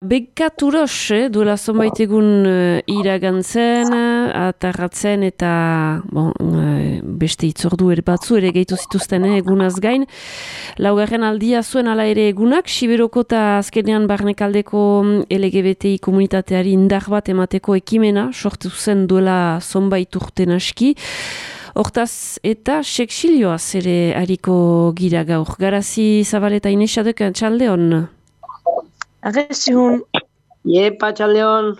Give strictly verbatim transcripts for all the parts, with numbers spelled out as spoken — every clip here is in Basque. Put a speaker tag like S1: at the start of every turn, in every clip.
S1: Bekaturos, eh, duela zonbait egun uh, iragantzen, atarratzen eta bon, uh, beste itzordu ere batzu ere gehitu zituzten eh, egunaz gain. Laugarren aldia zuen ala ere egunak, Siberoko eta azkenean barnekaldeko L G B T I komunitateari indar bat emateko ekimena, sortu zen duela zonbait urten aski. Hortaz eta seksilioaz ere hariko gira gaur. Garazi Zabaleta Inesadek txalde hon?
S2: Arrezihun.
S3: Iepa, txaldeon.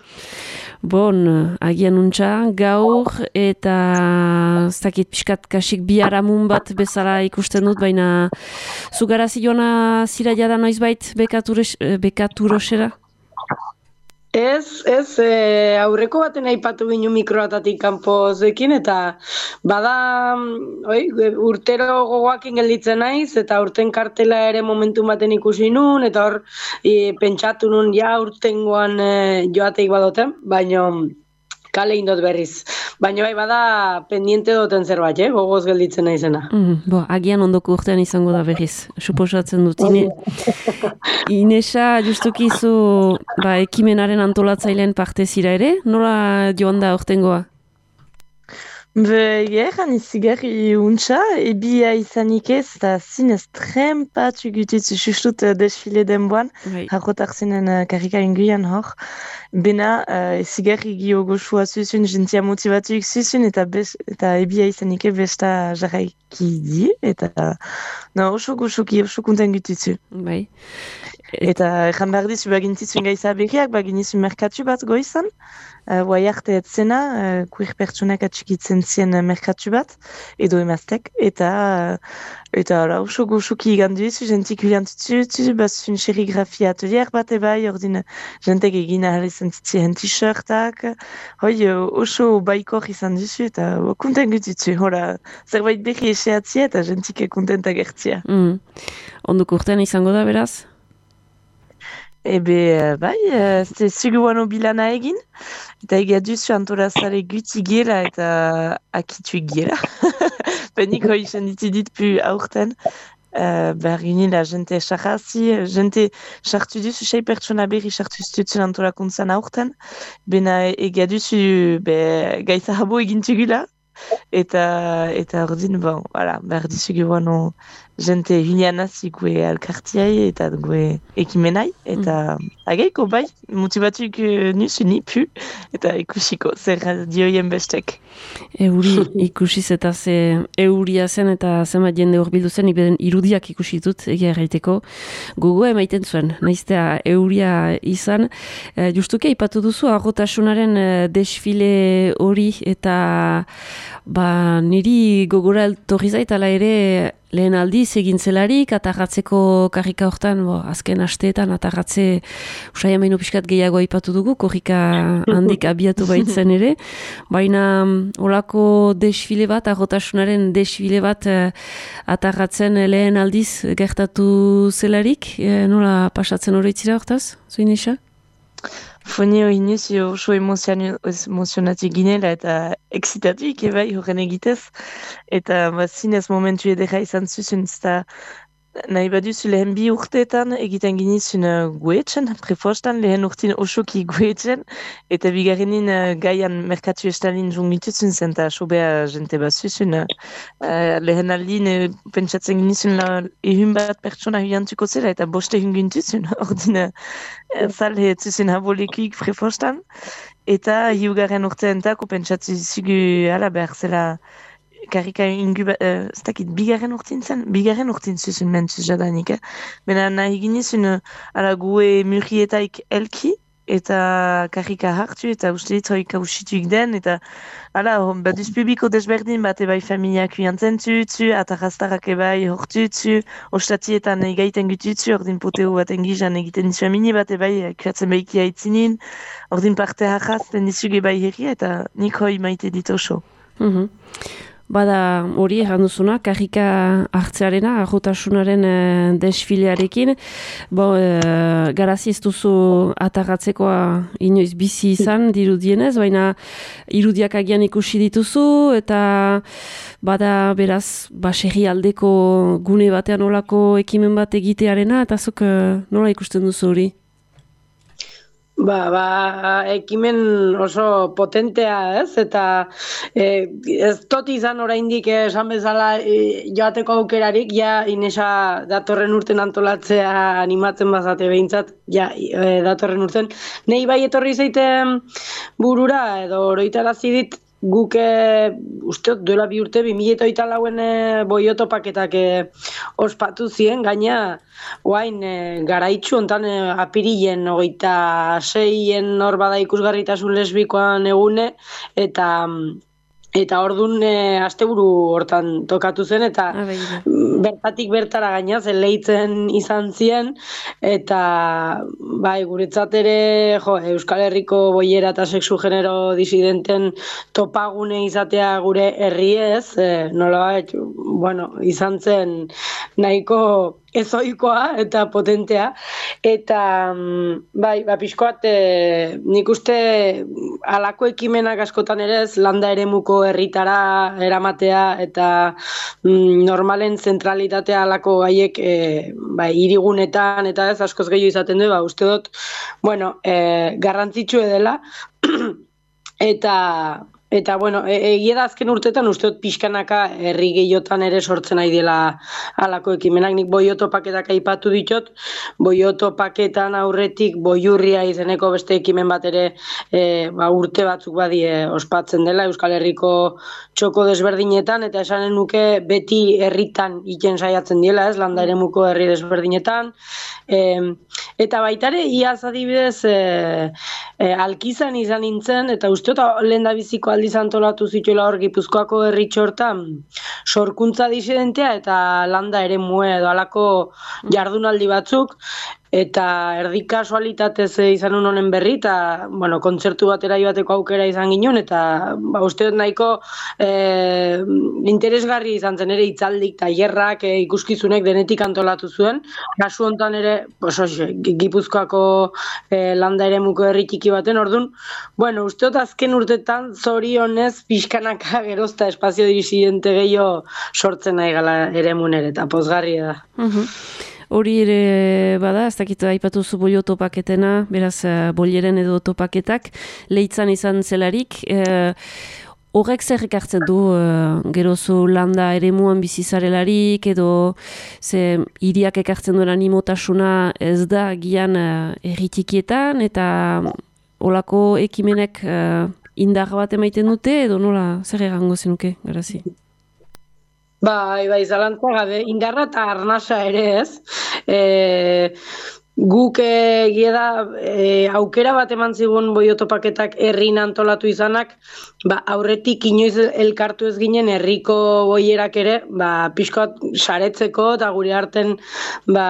S1: Bon, agian untxa, gaur eta ez dakit pixkat kasik biharamun bat bezala ikusten dut, baina zugarazi joana zira jada noizbait bekaturosera?
S3: Ez, ez, e, aurreko baten aipatu ginu mikroatatik kanpozekin eta bada oi, urtero gogoakin gelditzen naiz eta urten kartela ere momentu baten ikusi nun eta hor e, pentsatu nun ja urtengoan e, joateik badoten, baina kale indot berriz. Baina bai bada pendiente duten zerbait, eh? Gogoz gelditzen naizena.
S1: Mm, bo, agian ondoko urtean izango da berriz, suposatzen dut. Ine, Inesa, justuki zu ba, ekimenaren antolatzaileen parte zira ere? Nola joan da urtengoa?
S2: Be, gehan izigarri untxa, ebia izanik ez, eta zinez trempatu gutitzu sustut uh, desfile denboan, harrotak zinen uh, karrika inguian hor. Bena, uh, izigarri gio goxua zuzun, jentia motivatuik zuzun, eta, eta ebia izanik ez besta jarraiki di, eta no, oso goxoki, oso konten gutitzu.
S1: Bai.
S2: Eta egan behar dizu bagintitzuen gaiza berriak, baginizu merkatu bat goizan, uh, guai arte etzena, uh, kuir pertsonak atxikitzen zien uh, merkatu bat, edo emaztek, eta uh, eta ora, oso goxoki igandu izu, jentik huliantutzu, bazun serigrafia atelier bat ebai, ordin jentek egin ahal izan zitzien t-shirtak, hoi oso baikor izan duzu, eta uh, konten gutitzu, hora, zerbait berri eseatzia, eta jentik kontentak gertzia.
S1: Mm. Onduk urtean izango da beraz?
S2: Ebe, bai, ze zuguano bilana egin, eta egia duzu antolazare guti gela eta akitu gela. Penik hoi senditu dit pu aurten, uh, behar ginen la jente sarrazi, jente sartu duzu sei pertsona berri sartu zitutzen antolakuntzan aurten, bena egia duzu be, gaiza habo egin tugula, eta eta ordin, bon, voilà, behar dizu guano jente hilianazi gue alkartiai eta gue ekimenai, eta mm. ageiko bai, motibatuk uh, nusu ni pu, eta ikusiko, zer dioien bestek.
S1: Euri ikusiz eta ze euria zen eta zenbat jende horbildu zen, ibeden irudiak ikusi dut, egia erraiteko, gogoa emaiten zuen, naiztea euria izan. E, justuki aipatu duzu, arrotasunaren desfile hori, eta ba, niri gogora eltorri zait, ala ere, lehen aldiz egin zelarik, atarratzeko karrika hortan, bo, azken asteetan atarratze usai amaino pixkat gehiago aipatu dugu, korrika handik abiatu baitzen ere, baina olako desfile bat, arrotasunaren desfile bat eh, atarratzen lehen aldiz gertatu zelarik, eh, nola pasatzen horretzira hortaz, zuin isa?
S2: Fonio inuz oso emozionatik ginela eta excitatuik ebai horren egitez. Eta ba, zinez momentu edera izan zuzun, eta nahi baduzu lehen bi urteetan egiten ginizun uh, guetzen, prefostan lehen urtin osoki guetzen, eta bigarrenin uh, gaian merkatu estalin jungitutzen zen, eta sobea jente bat zuzun. Uh, lehen aldin uh, pentsatzen ginizun la, ehun bat pertsona huiantuko zela, eta boste hungintutzen, ordin uh, zale zuzun habolekuik prefostan, eta hiugarren urteentako pentsatzen zugu ala behar zela karrika ingu, uh, ez dakit, bigarren urtin zen? Bigarren urtin zuzun mentzuz jadanik, eh? Bena nahi ginezun, uh, ala gue murrietaik elki, eta karrika hartu, eta uste dit hoi kausituik den, eta ala, baduz publiko desberdin, bat ebai familiak huiantzen zutzu, atarraztarak ebai hortutzu, ostatietan egaiten gututzu, ordin poteo baten gizan egiten dizu amini, bat ebai kuatzen behiki haitzinin, ordin parte harrazten dizuge ebai herria, eta nik hoi maite dit oso.
S1: Mm-hmm. Bada hori egan duzuna, karrika hartzearena, arrotasunaren e, desfilearekin. Bo, e, garazi ez duzu atarratzekoa inoiz bizi izan dirudienez, baina irudiak agian ikusi dituzu, eta bada beraz, baserri aldeko gune batean olako ekimen bat egitearena, eta zuk e, nola ikusten duzu hori?
S3: Ba, ba, ekimen oso potentea, ez? Eta e, ez tot izan oraindik esan bezala e, joateko aukerarik, ja Inesa datorren urten antolatzea animatzen bazate behintzat, ja e, datorren urten. Nei bai etorri zaiten burura, edo oroitarazi dit, guk e, uste duela bi urte, bi mila hogeita lauen e, boioto paketak e, ospatu ziren, gaina oain e, garaitxu ontan e, apirilen hogeita seien hor bada ikusgarritasun lesbikoan egune, eta eta ordun e, asteburu hortan tokatu zen, eta bertatik bertara gaina leitzen izan zien, eta bai, guretzat ere jo, Euskal Herriko boiera eta sexu genero disidenten topagune izatea gure herriez, e, nolabait, bueno, izan zen nahiko ezoikoa eta potentea, eta bai, ba, pixkoat e, nik uste halako ekimenak askotan ere ez landa eremuko herritara eramatea, eta mm, normalen zentralitatea halako gaiek e, bai, hirigunetan eta ez askoz gehiago izaten du, ba, uste dut, bueno, e, garrantzitsue dela, eta Eta, bueno, egia da azken urtetan uste dut pixkanaka herri gehiotan ere sortzen nahi dela halako ekimenak. Nik boioto paketak aipatu ditot, boioto paketan aurretik boiurria izeneko beste ekimen bat ere e, ba, urte batzuk badie ospatzen dela Euskal Herriko txoko desberdinetan, eta esanen nuke beti herritan iken saiatzen diela, ez, landa eremuko herri desberdinetan. E, eta baitare, iaz adibidez, e, e, alkizan izan nintzen, eta uste dut lehen da biziko aldiz antolatu zituela hor Gipuzkoako herritxo hortan sorkuntza disidentea eta landa eremue edo halako jardunaldi batzuk, eta erdi kasualitatez izan honen berri, eta bueno, kontzertu batera joateko aukera izan ginen, eta ba, uste dut nahiko e, interesgarri izan zen ere hitzaldik, tailerrak, e, ikuskizunek denetik antolatu zuen. Kasu hontan ere, oso, Gipuzkoako e, landa eremuko herri txiki baten, ordun, bueno, uste dut azken urtetan zorionez pixkanaka gerozta espazio disidente gehiago sortzen nahi gala eremun ere, eta pozgarria da.
S1: Hori ere bada, ez dakit aipatu zu boioto paketena, beraz boieren edo topaketak, leitzan izan zelarik, e, horrek zer ekartzen du e, gerozu landa eremuan bizizarelarik, edo ze hiriak ekartzen duen animotasuna ez da gian e, erritikietan, eta olako ekimenek e, indar bat emaiten dute, edo nola zer egango zenuke, garazi?
S3: Bai, bai, zalantza gabe, indarra eta arnasa ere ez. E, guk egia da e, aukera bat eman zigun boioto paketak herrin antolatu izanak, ba, aurretik inoiz elkartu ez ginen herriko boierak ere, ba, pixkoat saretzeko eta gure arten ba,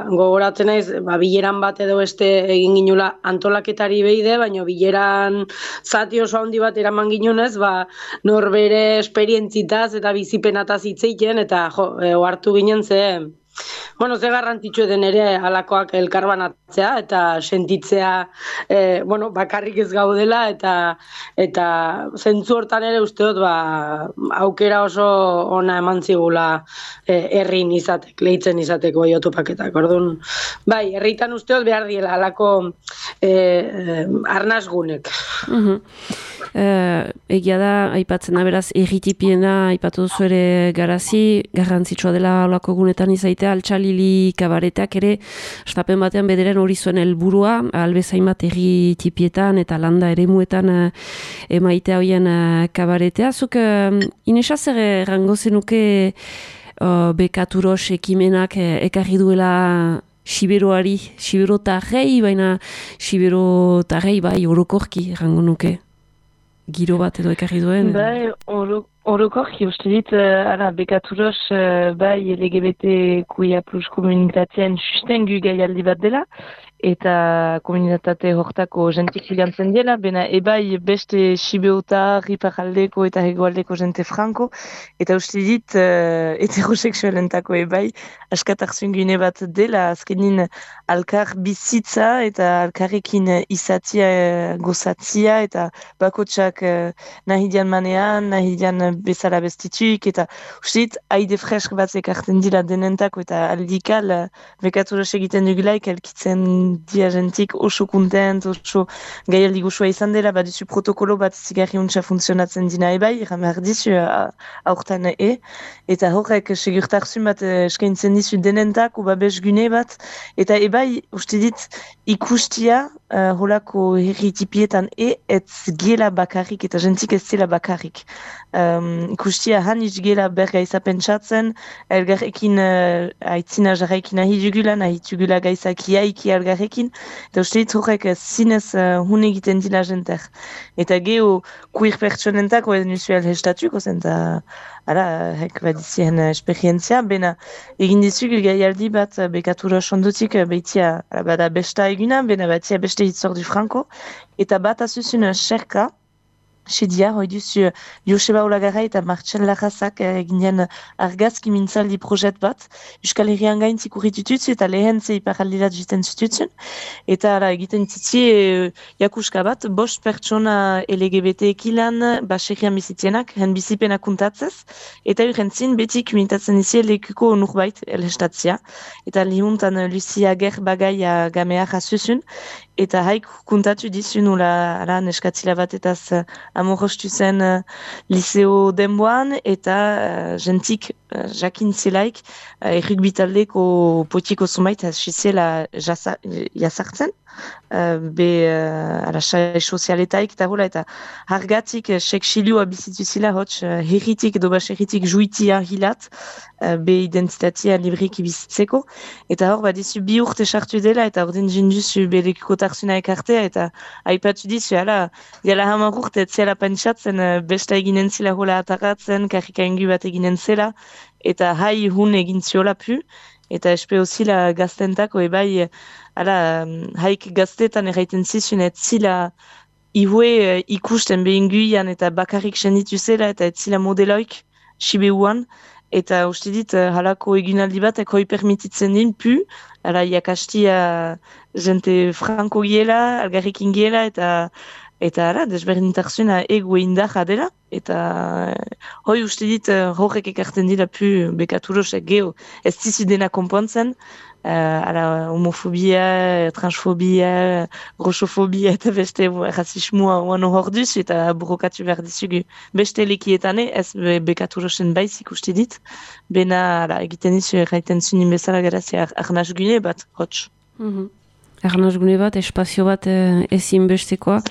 S3: gogoratzen naiz, ba, bileran bat edo beste egin ginula antolaketari behide, baina bileran zati oso handi bat eraman ginunez, ba, norbere esperientzitaz eta bizipenataz hitzeiten, eta jo, e, ohartu ginen ze, bueno, ze garrantzitsu den ere halakoak elkarbanatzea eta sentitzea e, bueno, bakarrik ez gaudela, eta eta zentzu hortan ere uste dut ba, aukera oso ona eman zigula e, herrin izatek, leitzen izateko boioto paketak. Orduan, bai, herritan uste dut behar diela halako e, e, arnasgunek.
S1: Uh-huh. Uh, egia da, aipatzen da beraz erritipiena aipatu duzu ere garazi, garrantzitsua dela olako gunetan izaitea, altxalili kabaretak ere, estapen batean bederen hori zuen helburua, albezain bat erritipietan eta landa eremuetan uh, emaitea hoien uh, kabaretea. Zuk, uh, Inesa zer errango zenuke uh, bekaturos ekimenak uh, ekarri duela Siberoari, Sibero tarrei, baina Sibero tarrei bai orokorki errango nuke. Giro bat edo ekarri duen?
S2: Bai, orokorki uste dit, uh, bekaturos uh, bai L G B T Q I A plus komunitatean sustengu gaialdi bat dela, eta komunitate hortako jentik filantzen dela, bena ebai beste Sibeota, Riparaldeko eta Hegoaldeko jente franko, eta uste dit uh, heterosexualentako ebai askatarzun gune bat dela, azkenin alkar bizitza eta alkarrekin izatia uh, gozatzia, eta bakotsak uh, nahi dian manean, nahi dian bezala bestituik, eta uste dit haide fresk bat ekartzen dira denentako, eta aldikal uh, bekaturos egiten dugulaik elkitzen dia jentik oso kontent, oso gaialdi gozoa izan dela, baduzu protokolo bat zigarri untsa funtzionatzen dina ebai, eran behar dizu aurten e, eta horrek segurtarzun bat eskaintzen dizu denentak, uba bezgune bat, eta ebai, uste dit, ikustia, uh, holako herritipietan e, ez gela bakarrik, eta jentik ez zela bakarrik. Um, ikustia han iz gela berga izapentsatzen, elgarrekin uh, aitzina jarraikin nahi dugula, nahi dugula gaizak iaiki elgarrekin, eta uste dit horrek zinez uh, hun egiten dila jenter. Eta geho kuir pertsonentako ez nuzu elhestatuko zen, eta ara, hek badizien esperientzia, bena egin dizuk gaialdi bat bekatura sondutik behitia bada besta eguna, bena batia beste hitzordu franko, eta bat azuzun xerka, sedia, hoi duzu Joseba Olagarra eta Martxel Larrazak eginen argazki mintzaldi projet bat, Euskal Herrian gain zikurritututzu eta lehen ze iparaldirat jiten zututzen, eta ara, egiten titi e, jakuska bat, bost pertsona L G B T ekilan baserrian bizitzienak, hen bizipena kuntatzez, eta urentzin beti kumitatzen izi lekuko nurbait elhestatzia, eta lihuntan Lucia Ger bagaia gamea jasuzun, eta haik kuntatu dizu nula ara, neskatzila bat eta amorostu zen uh, liceo denboan, eta uh, jentik uh, jakin zelaik uh, errukbitaldeko potiko zumait hasiziela jasartzen, uh, be uh, ala sai sozialetaik eta hola, eta hargatik uh, seksilioa bizitu zila hotx uh, herritik edo baserritik juitia hilat, uh, be identitatea libriki bizitzeko, eta hor badizu bi urte sartu dela, eta ordin jinduzu belekuko tarzuna ekartea, eta aipatu dizu, ala, jala hamar urte etzela pentsatzen, besta eginen zela hola ataratzen, karrika ingu bat eginen zela, eta hai hun egin ziola pu, eta espeo zila gaztentako ebai, ala, haik gaztetan erraiten zizun, ez zila ihue ikusten behinguian eta bakarrik senditu zela, eta ez zila modeloik, sibeuan, eta uste dit, halako eginaldi bat, ekoi permititzen din pu, ala, jakastia jente franko giela, algarrekin giela, eta Eta ara, desberdintarzuna ego indarra dela, eta hoi uste dit horrek ekarten dira pu bekaturosek geho ez dizu dena konpontzen, uh, ala, homofobia, transfobia, roxofobia eta beste rasismoa oan hor duzu eta burokatu behar dizugu beste lekietane, ez bekaturosen baizik uste dit, bena ala, egiten dizu erraiten zunin bezala garazia arnaz gune bat, hotx.
S1: Mm-hmm. Arnaz gune bat, espazio bat eh, ezin bestekoa.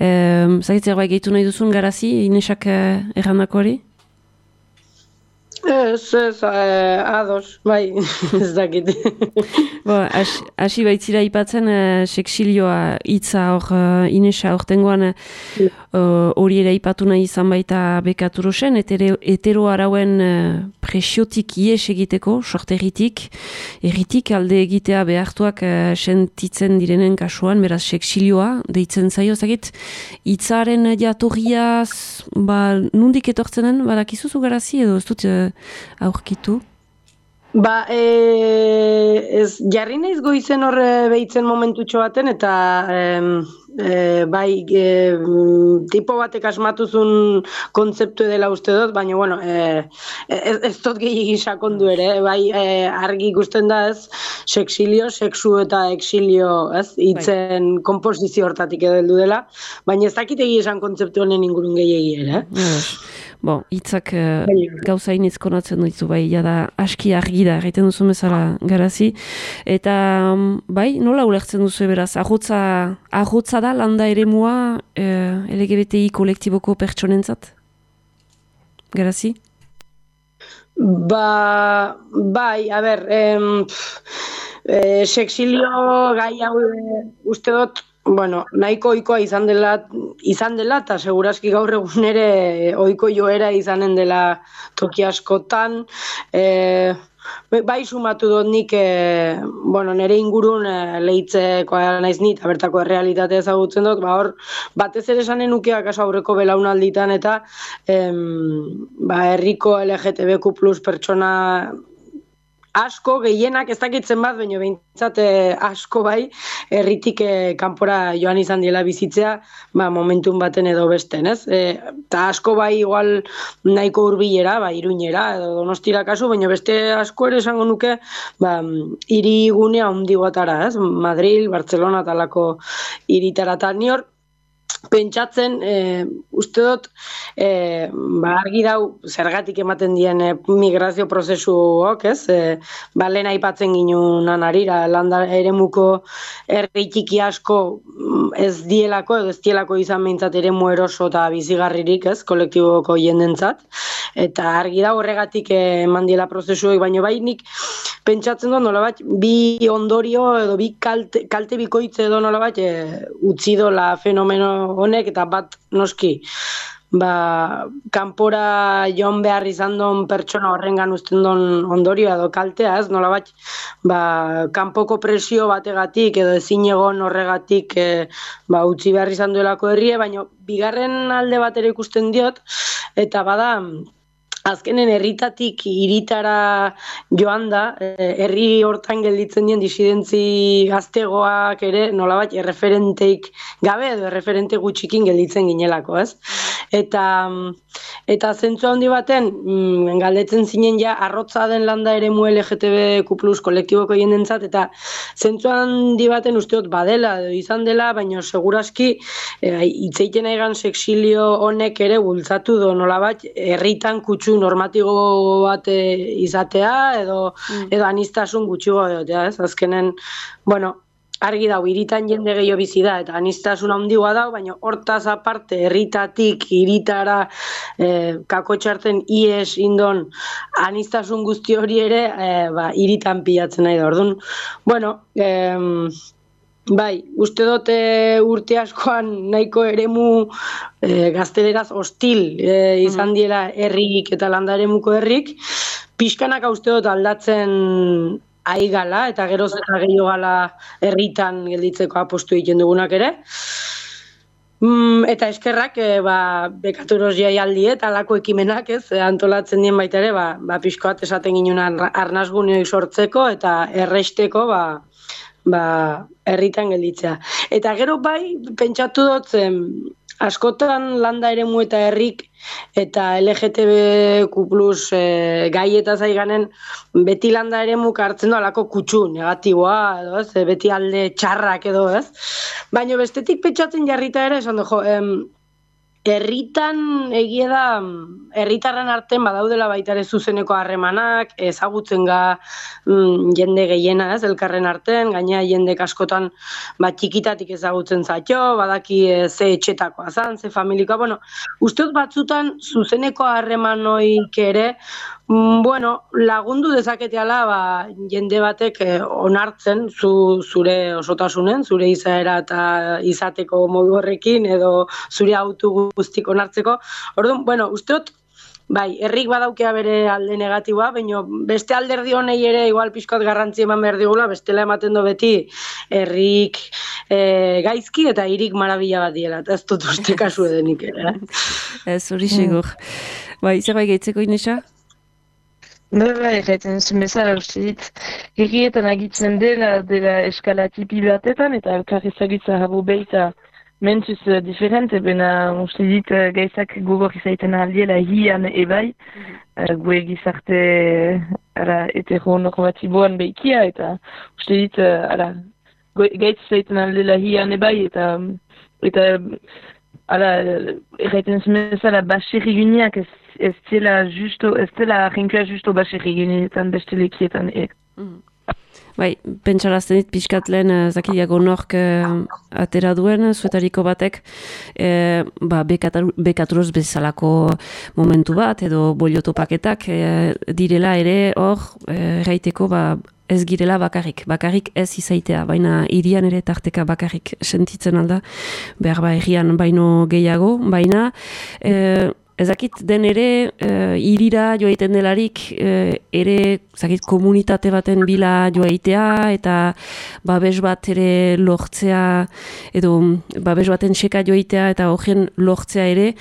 S1: Eh, Zagitzer bai gehitu nahi duzun garazi, Inesak eh, errandako hori?
S3: Ez, ez, eh, ados, bai, ez dakit.
S1: Bo, hasi baitzira ipatzen eh, seksilioa hitza hor uh, Inesa hortengoan hori uh, ere ipatu nahi izan baita bekaturosen, hetero arauen uh, presiotik ies egiteko, sorteritik, erritik alde egitea behartuak uh, sentitzen direnen kasuan, beraz seksilioa deitzen zaio, zagit, hitzaren jatorriaz, ba, nundik etortzenen, badakizuzu garazi edo ez dut uh, aurkitu?
S3: Ba, e, ez, jarri naiz goizen horre behitzen momentutxo baten, eta e, e, bai, e, tipo batek asmatuzun kontzeptu dela uste dut, baina, bueno, e, ez, ez dut gehiagin sakondu ere, bai, e, argi ikusten da ez, seksilio, seksu eta exilio, ez, hitzen konposizio hortatik edo heldu dela, baina ez dakit esan kontzeptu honen ingurun gehiagi ere, eh?
S1: Bon, hitzak uh, gauza iniz konatzen duizu, bai, jada aski argi da, egiten duzu bezala garazi. Eta, um, bai, nola ulertzen duzu beraz, ahotza, ahotza da landa eremua uh, L G B T I kolektiboko pertsonentzat? Garazi?
S3: Ba, bai, a ber, em, e, seksilio gai hau uste dut, bueno, nahiko ohikoa izan dela, izan dela, eta seguraski gaur egun ere ohiko joera izanen dela toki askotan. E, bai sumatu dut nik, e, bueno, nire ingurun e, lehitzekoa naiz ni, eta bertako errealitatea ezagutzen dut, ba hor, batez ere esanen nukeak aso aurreko belaunalditan, eta em, ba, herriko L G T B Q plus pertsona asko, gehienak ez dakitzen bat, baina behintzat eh, asko bai, herritik eh, kanpora joan izan diela bizitzea, ba, momentun baten edo besten, ez? Eta asko bai igual nahiko hurbilera, ba, Iruñera edo Donostira kasu, baina beste asko ere esango nuke, ba, hirigunea handigoatara, ez? Madril, Barcelona talako hiritara eta ni hor pentsatzen, e, uste dut, e, ba, argi dau, zergatik ematen dien e, migrazio prozesuok, ez? E, ba, lehen aipatzen ginunan arira, landa eremuko herri txiki asko ez dielako, edo ez dielako izan behintzat eremu eroso eta bizigarririk, ez? Kolektiboko jendentzat. Eta argi da horregatik eman diela prozesuek, baino bai nik pentsatzen dut nolabait bi ondorio edo bi kalte, kalte bikoitze edo nolabait e, utzi dola fenomeno honek eta bat noski ba, kanpora joan behar izan don pertsona horrengan uzten don ondorioa edo kaltea, ez nolabait ba, kanpoko presio bategatik edo ezin egon horregatik e, ba, utzi behar izan duelako herrie, baina bigarren alde bat ere ikusten diot eta bada azkenen herritatik hiritara joan da, herri hortan gelditzen dien disidentzi gaztegoak ere nolabait erreferenteik gabe edo erreferente gutxikin gelditzen ginelako, ez? Eta eta zentzu handi baten mm, galdetzen zinen ja arrotza den landa eremu L G T B Q plus kolektiboko jendentzat eta zentzu handi baten usteot badela edo izan dela, baina seguraski hitz egiten egan sexilio honek ere bultzatu do nolabait herritan kutsu normatibo bat izatea edo mm. edo anistasun gutxiago egotea, ez? Azkenen, bueno, argi dau, hiritan jende gehiago bizi da eta anistasun handigoa dau, baina hortaz aparte herritatik hiritara eh, kakotxarten ies indon anistasun guzti hori ere eh, ba, hiritan pilatzen nahi da. Orduan, bueno, eh, bai, uste dut e, urte askoan nahiko eremu e, gazteleraz hostil e, izan diela herrik eta landa eremuko herrik, pixkanaka uste dut aldatzen ari gala eta geroz eta gehiago gala herritan gelditzeko apostu egiten dugunak ere. Mm, eta eskerrak e, ba, bekaturoz jaialdi eta alako ekimenak ez, antolatzen dien baita ere, ba, ba, pixkoat esaten ginen arnazguneoi sortzeko eta erresteko ba, ba, herritan gelditzea. Eta gero bai, pentsatu dut zen, askotan landa eremu eta herrik eta L G T B Q plus e, gai eta zaiganen beti landa eremuk hartzen du alako kutsu negatiboa, edo ez, beti alde txarrak edo ez. Baina bestetik pentsatzen jarrita ere, esan du, jo, em, herritan egia da, herritarren artean badaudela baita ere zuzeneko harremanak, ezagutzen ga mm, jende gehiena ez, elkarren artean, gaina jende askotan ba, txikitatik ezagutzen zaitxo, badaki e, ze etxetakoa zan, ze familikoa, bueno, usteot batzutan zuzeneko harremanoik ere, mm, bueno, lagundu dezaketeala ba, jende batek eh, onartzen zu, zure osotasunen, zure izaera eta izateko modu horrekin, edo zure autu guztik onartzeko. Orduan, bueno, usteot, bai, herrik badaukea bere alde negatiboa, baina beste alderdi honei ere igual pixkoat garrantzi eman behar digula, bestela ematen do beti herrik e, gaizki eta hirik marabila bat diela, eta ez dut uste kasu edenik ere.
S1: Ez, hori segur. Bai, zerbait gaitzeko Inesa?
S2: Bai, bai, egiten zuen bezala, uste dit, herrietan agitzen dela, dela eskala tipi batetan, eta elkarri zagitza habo behita mentuz uh, diferente, bena uste dit uh, gaizak gogor izaiten aldiela hian ebai, uh, gue gizarte ara, heteronormatiboan behikia, eta uste dit uh, ara, gaitz izaiten aldiela hian ebai, eta eta ara, erraiten zumezala baserri guneak ez, ez zela justo, ez zela jinkua justo baserri guneetan beste lekietan e. Mm.
S1: Bai, pentsarazten dit pixkat lehen zakiliago nork uh, atera duen, zuetariko batek uh, ba, bekaturoz bezalako momentu bat edo boliotopaketak uh, direla ere hor erraiteko uh, ba, ez girela bakarrik, bakarrik ez izaitea, baina hirian ere tarteka bakarrik sentitzen alda, behar ba herrian baino gehiago, baina uh, ezakit den ere, uh, irira joaiten delarik, uh, ere, ezakit, komunitate baten bila joaitea, eta babes bat ere lortzea, edo babes baten seka joaitea, eta horien lortzea ere,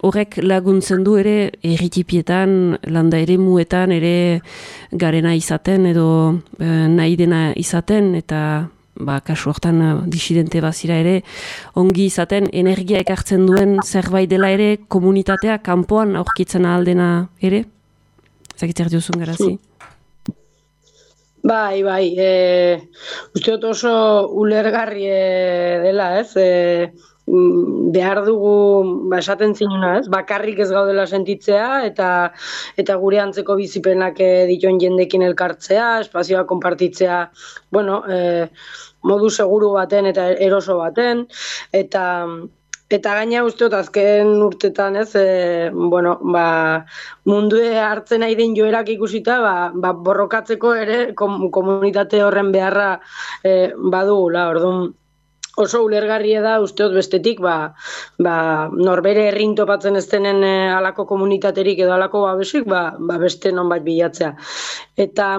S1: horrek laguntzen du ere erritipietan, landa ere muetan ere garena izaten, edo uh, nahi dena izaten, eta ba, kasu hortan uh, disidente bazira ere, ongi izaten energia ekartzen duen zerbait dela ere, komunitatea kanpoan aurkitzen ahaldena ere? Zakitzer diozun garazi?
S3: Bai, bai, e, uste dut oso ulergarri dela, ez? E, behar dugu, ba, esaten zinuna, ez? Bakarrik ez gaudela sentitzea, eta eta gure antzeko bizipenak dituen jendekin elkartzea, espazioa konpartitzea, bueno, e, modu seguru baten eta eroso baten, eta eta gaina uste dut azken urtetan, ez, e, bueno, ba, mundue hartzen nahi den joerak ikusita, ba, ba, borrokatzeko ere kom, komunitate horren beharra e, badugula, orduan, oso ulergarria da, uste dut bestetik, ba, ba, norbere herrin topatzen ez denen e, alako komunitaterik edo alako babesik, ba, ba beste nonbait bilatzea. Eta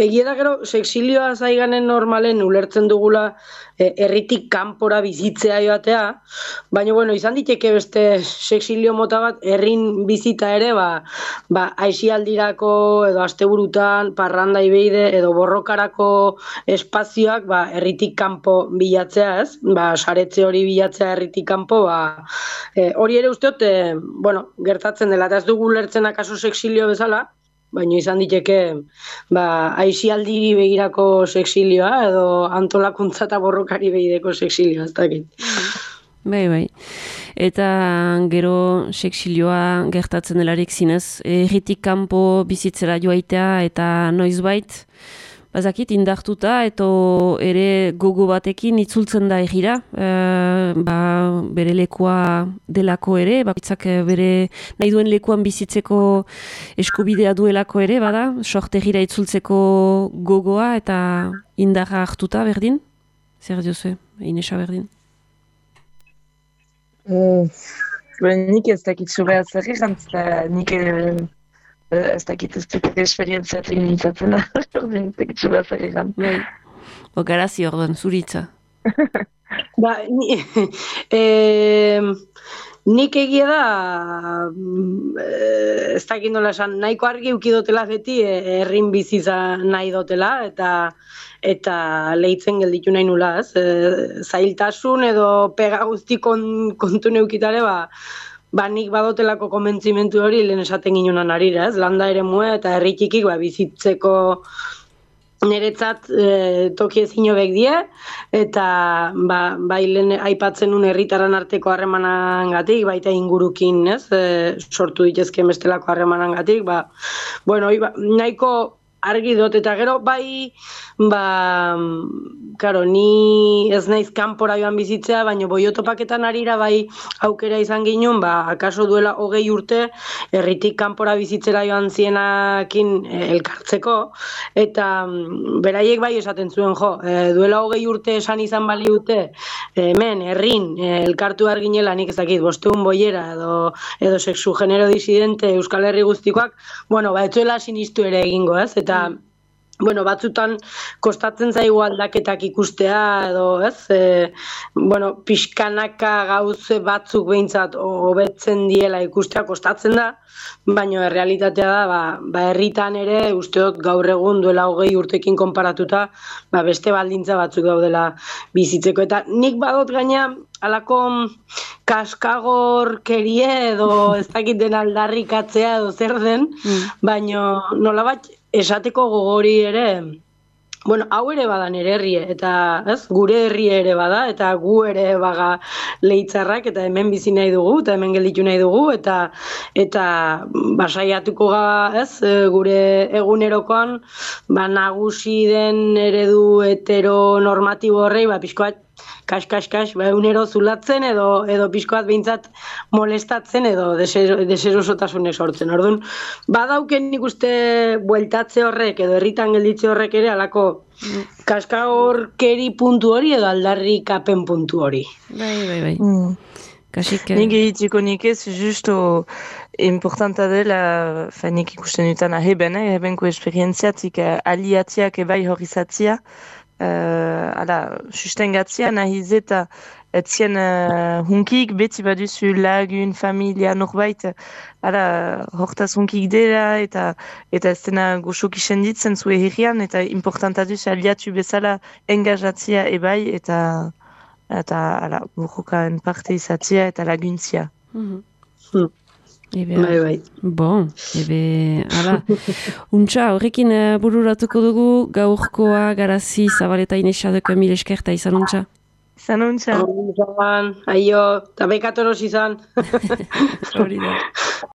S3: egia da gero, sexilioa zaiganen normalen ulertzen dugula e, herritik kanpora bizitzea joatea, baina bueno, izan diteke beste sexilio mota bat, herrin bizita ere, ba, ba, aisialdirako edo asteburutan, parranda ibeide edo borrokarako espazioak ba, herritik kanpo bilatzea, ez? Ba, saretze hori bilatzea herritik kanpo, ba, e, hori ere uste dut, e, bueno, gertatzen dela, eta ez dugu ulertzen akaso sexilio bezala, baina izan diteke ba, aisialdiri begirako sexilioa edo antolakuntza eta borrokari begirako sexilioa, ez dakit.
S1: Bai, bai. Eta gero sexilioa gertatzen delarik zinez, herritik kanpo bizitzera joaitea eta noizbait, bazakit indartuta eta ere gogo batekin itzultzen da egira, e, ba, bere lekua delako ere, bakitzak bere nahi duen lekuan bizitzeko eskubidea duelako ere, bada, sorte egira itzultzeko gogoa eta indarra hartuta berdin? Zer diozue, Inesa berdin?
S2: Uh, nik ez dakit zure atzerri jantzta, nik ez dakit ez dut esperientziatik nintzatzen, ez dakit zure atzerri jantzta.
S1: O garazi orduan, zuritza.
S3: Ba, ni, e, nik egia da, ez dakit nola esan, nahiko argi ukidotela beti herrin biziza nahi dotela, eta eta lehitzen gelditu nahi nula, ez? E, zailtasun edo pega guzti kon, kontu neukitare, ba, ba nik badotelako konbentzimentu hori lehen esaten ginonan arira, ez? Landa ere mua eta herritikik ba, bizitzeko niretzat e, toki ezin hobek die, eta ba, bai lehen aipatzen un herritaran arteko harremanangatik, baita ingurukin, ez? E, sortu ditezken bestelako harremanangatik, ba, bueno, ba, nahiko argi dut, eta gero bai, ba, karo, ni ez naiz kanpora joan bizitzea, baina boiotopaketan arira bai aukera izan ginen, ba, akaso duela hogei urte, herritik kanpora bizitzera joan zienakin elkartzeko, eta beraiek bai esaten zuen, jo, e, duela hogei urte esan izan baliute, hemen, herrin, elkartu arginela, nik ezakit, bosteun boiera, edo, edo sexu genero disidente Euskal Herri guztikoak, bueno, ba, etzuela sinistu ere egingo, ez? Eta Eta, bueno, batzutan kostatzen zaigu aldaketak ikustea, edo, ez? E, bueno, pixkanaka gauze batzuk behintzat hobetzen diela ikustea kostatzen da, baina errealitatea da, ba, ba herritan ere, uste dut gaur egun duela hogei urtekin konparatuta, ba beste baldintza batzuk daudela bizitzeko. Eta nik badot gaina, alako kaskagorkerie edo ez dakit den aldarrikatzea edo zer den, mm. baina nolabat esateko gogori ere, bueno, hau ere bada nere herrie, eta ez, gure herrie ere bada, eta gu ere baga leitzarrak, eta hemen bizi nahi dugu, eta hemen gelditu nahi dugu, eta eta basaiatuko ga, ez, gure egunerokoan, ba, nagusi den eredu heteronormatibo horrei, ba, pixkoat, kas, kas, kas, ba, egunero zulatzen edo edo pixkoat behintzat molestatzen edo deserosotasunek sortzen. Orduan, badauken nik uste bueltatze horrek edo herritan gelditze horrek ere alako kaskagorkeri puntu hori edo aldarrikapen puntu hori.
S1: Bai, bai, bai. Mm. Kasik...
S2: Nik egitiko nik ez, justo importanta dela, fa, nik ikusten dutan aheben, eh, ahebenko esperientziatik uh, aliatiak ebai horizatzia, uh, ala, sustengatzia nahiz eta etzien uh, hunkik beti baduzu lagun, familia, norbait, ala, hortaz hunkik dela, eta eta ez dena goxok isenditzen zue herrian, eta importanta duzu aliatu bezala engajatzia ebai, eta eta ala, burrukaen parte izatzia eta laguntzia.
S1: Mm-hmm.
S3: Hmm.
S1: Ebe,
S3: Bai, bai.
S1: Bon, ebe, ala, untxa, horrekin uh, bururatuko dugu, gaurkoa, garazi, zabaleta inesadeko mil eskerta izan untxa.
S2: Izan untxa.
S3: Izan, aio, eta bekator izan.
S1: Hori da.